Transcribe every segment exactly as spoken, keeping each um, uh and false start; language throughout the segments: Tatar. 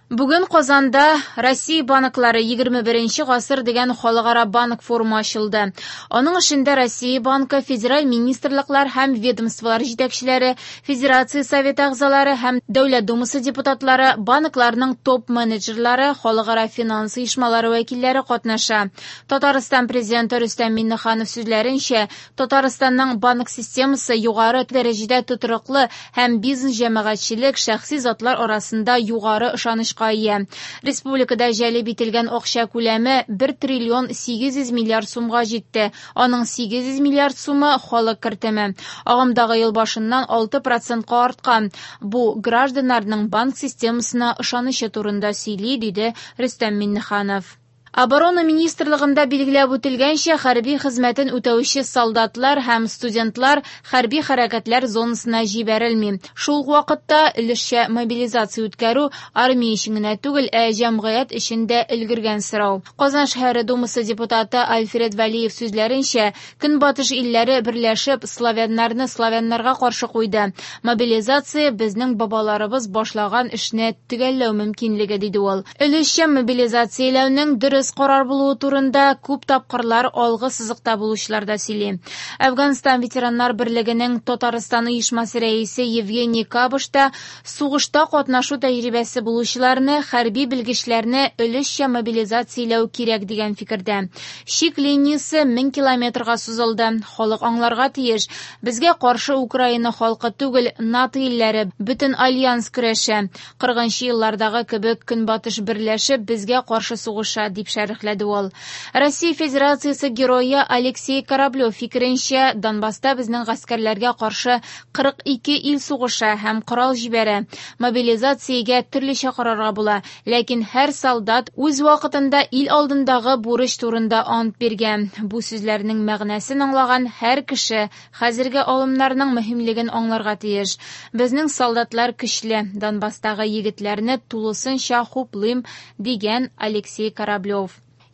Бүген Казанда Россия банклары егерме беренче гасыр дигән халыкара банк форумы ачылды. Аның эшендә Россия банкы, федераль министрлыклар һәм ведомстволар җитәкчеләре, Федерация Советы әгъзалары һәм Дәүләт Думасы депутатлары, банкларның топ-менеджерлары, халыкара финанс оешмалары вәкилләре катнаша. Татарстан президенты Рөстәм Миңнеханов сүзләренчә, Татарстанның банк системасы югары дәрәҗәдә тотрыклы һәм бизнес җәмәгатьчелек, шәхси затлар арасында югары ышанычка ия. Республикада җәлеп ителгән акча күләме бер триллион сигез йөз миллиард сумга җитте. Аның сигез йөз миллиард сумы халык кертеме. Агымдагы ел башыннан алты процентка арткан. Бу гражданнарның банк системасына ышанычы турында сөйли, диде Рөстәм Миңнеханов. Оборона министрлыгында билгеләп үтелгәнчә, хәрби хезмәтен үтәүче солдатлар һәм студентлар хәрби хәрәкәтләр зонасына җибәрелми. Шул ук вакытта өлешчә мобилизация үткәрү армия өчен генә түгел, ә җәмгыять өчен дә өлгергән сорау. Казан шәһәре Думасы депутаты Альфред Вәлиев сүзләренчә, Көнбатыш илләре берләшеп славяннарны славяннарга каршы куйды. Мобилизация безнең бабаларыбыз башлаган эшне төгәлләү мөмкинлеге, диде ул. Өлешчә мобилизацияләүнең дөрес карар булуы турында күп тапкырлар алгы сызыкта булучылар да сөйли. Әфганстан ветераннар берлегенең Татарстан оешмасы рәисе Евгений Кабыш та сугышта катнашу тәҗрибәсе булучыларны, хәрби белгечләрне өлешчә мобилизацияләү кирәк дигән фикердә. Чик линиясе мең километрга сузылды. Халык аңларга тиеш. Безгә каршы Украина халкы түгел, НАТО илләре, бөтен альянс көрәшә. Кырыгынчы еллардагы кебек Көнбатыш берләшеп безгә каршы сугыша, дип шәрехләде ул. Россия Федерациясе герое Алексей Кораблев фикеренчә, Донбасста безнең гаскәрләргә каршы кырык ике ил сугыша һәм корал җибәрә. Мобилизациягә төрлечә карарга була, ләкин һәр солдат үз вакытында ил алдындагы бурыч турында ант биргән. Бу сүзләрнең мәгънәсен аңлаган һәр кеше хәзерге алымнарның мөһимлеген аңларга тиеш. Безнең солдатлар көчле, Донбасстагы егетләрне тулысынча хуплыйм, дигән Алексей Кораблев.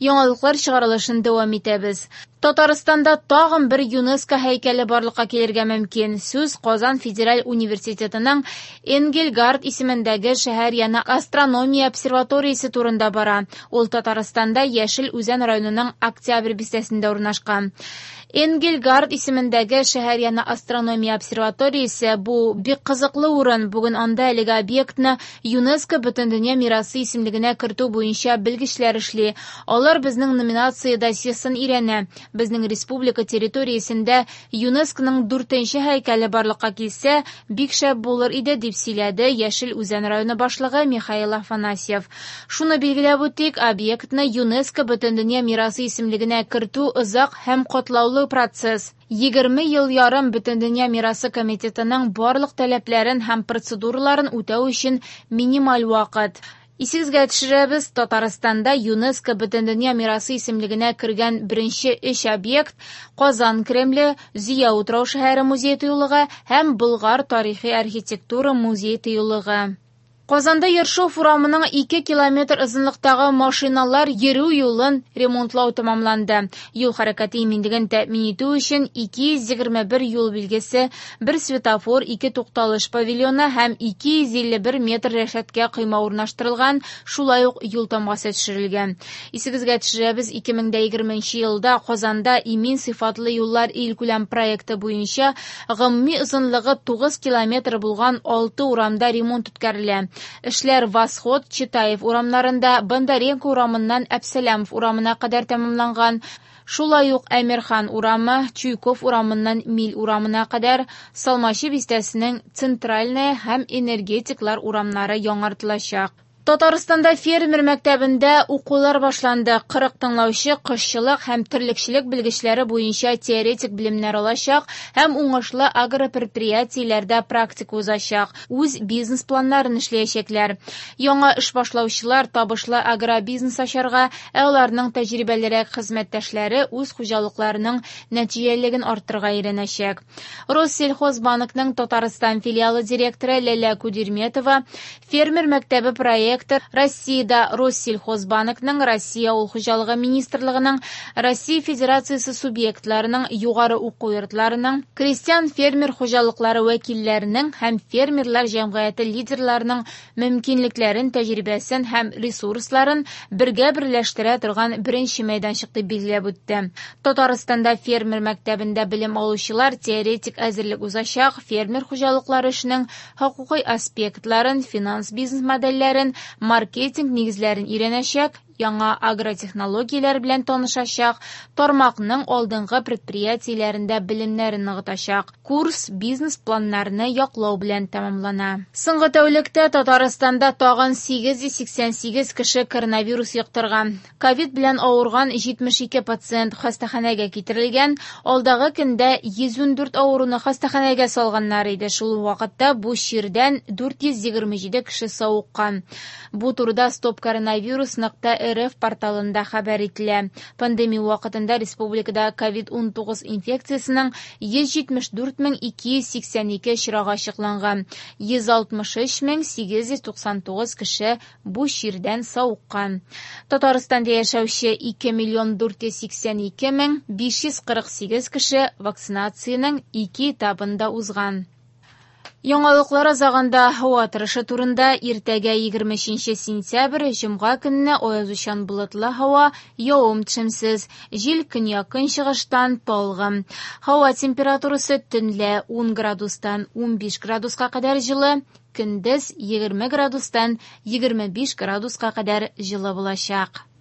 Яңалыклар чыгарылышын дәвам итәбез. Татарстанда тагын бер ЮНЕСКО һәйкәле барлыкка килергә мөмкин. Сүз Казан федераль университетының Энгельгард исемендәге шәһәр яны астрономия обсерваториясе турында бара. Ул Татарстанда Яшел Үзән районының Октябрь бистәсендә урнашкан. Энгельгард исемендәге шәһәр яны астрономия обсерваториясе бу бик кызыклы урын. Бүген анда әлеге объектны ЮНЕСКО Бөтендөнья мирасы исемлегенә кертү буенча белгечләр эшли. Алар безнең номинация досьесын өйрәнә. Безнең республика территориясендә ЮНЕСКОның дүртенче һәйкәле барлыкка килсә, бик шәп булыр иде, дип сөйләде Яшел Үзән районы башлыгы Михаил Афанасьев. Шуны билгеләп үтик, объектны ЮНЕСКО Бөтендөнья мирасы исемлегенә кертү озак һәм катлаулы процесс. Егерме ел ярым Бөтендөнья мирасы комитетының барлык таләпләрен һәм процедураларын үтәү өчен минималь вакыт. Исегезгә төшерәбез, Татарстанда ЮНЕСКО Бөтендөнья мирасы исемлегенә кергән беренче өч объект Казан Кремле, Зөя утрау шәһәре музей тыюлыгы һәм Болгар тарихи архитектура музей тыюлыгы. Казанда Ершов урамының ике километр озынлыктагы машиналар йөрү юлын ремонтлау тәмамланды. Юл хәрәкәте иминлеген тәэмин итү өчен ике йөз егерме бер юл билгесе, бер светофор, ике тукталыш павильоны һәм ике йөз илле бер метр рәшәткә койма урнаштырылган, шулай ук юл тамгасы төшерелгән. Исегезгә төшерәбез, ике мең дә егерменче елда Казанда имин сыйфатлы юллар илкүләм проекты буенча гомуми озынлыгы тугыз километр булган алты урамда ремонт үткәрелә. Эшләр Восход, Читаев урамнарында, Бондаренко урамыннан Әпсәләмов урамына кадәр тәмамланган. Шулай ук Әмирхан урамы, Чуйков урамыннан Миль урамына кадәр, Салмачы бистәсенең Центральная һәм Энергетиклар урамнары яңартылачак. Татарстанда фермер мәктәбендә укулар башланды. Кырык тыңлаучы кошчылык һәм терлекчелек белгечләре буенча теоретик белемнәр алачак һәм уңышлы агропредприятиеләрдә практика узачак, үз бизнес-планнарын эшләячәкләр. Яңа эш башлаучылар табышлы агробизнес ачарга, ә аларның тәҗрибәлерәк хезмәттәшләре үз хуҗалыкларының нәтиҗәлелеген арттырырга өйрәнәчәк. Россельхозбанкның Татарстан филиалы директоры Ләлә Кудерметова фермер мәктәбе проект Проректор Россиядә Россельхозбанкның, Россия Авыл хуҗалыгы министрлыгының, Россия Федерациясе субъектларының югары уку йортларының, крестьян-фермер хуҗалыклары вәкилләренең һәм фермерлар җәмгыяте лидерларының мөмкинлекләрен, тәҗрибәсен һәм ресурсларын бергә берләштерә торган беренче мәйданчык дип билгеләп үтте. Татарстанда фермер мәктәбендә белем алучылар теоретик әзерлек узачак, фермер хуҗалыклары эшенең хокукый аспектларын, финанс бизнес модельләрен, маркетинг нигезләрен өйрәнәчәк, яңа агротехнологияләр белән танышачак, тармакның алдынгы предприятиеләрендә белемнәрен ныгытачак. Курс бизнес-планнарны яклау белән тәмамлана. Соңгы тәүлектә Татарстанда тагын сигез йөз сиксән сигез кеше коронавирус йоктырган. Ковид белән авырган җитмеш ике пациент хастаханәгә китерелгән. Алдагы көндә йөз ундүрт авыруны хастаханәгә салганнар иде. Шул ук вакытта бу чирдән дүрт йөз егерме җиде кеше савыккан. Бу турыда стоп коронавирус нокта рф порталында хәбәр ителә. Пандемия вакытында республикада ковид унтугыз инфекциясенең йөз җитмеш дүрт мең ике йөз сиксән ике очрагы ачыкланган. Йөз алтмыш өч мең сигез йөз туксан тугыз кеше бу чирдән савыккан. Татарстанда яшәүче ике миллион дүрт йөз сиксән ике мең биш йөз кырык сигез кеше вакцинациянең ике этабында узган. Яңалыклар азагында һава торышы турында. Иртәгә егерме өченче сентябрь, җомга көнне аязучан болытлы һава, явым-төшемсез, җил көньяк-көнчыгыштан талгын. Һава температурасы төнлә ун градустан унбиш градуска кадәр җылы, көндез егерме градустан егерме биш градуска кадәр җылы булачак.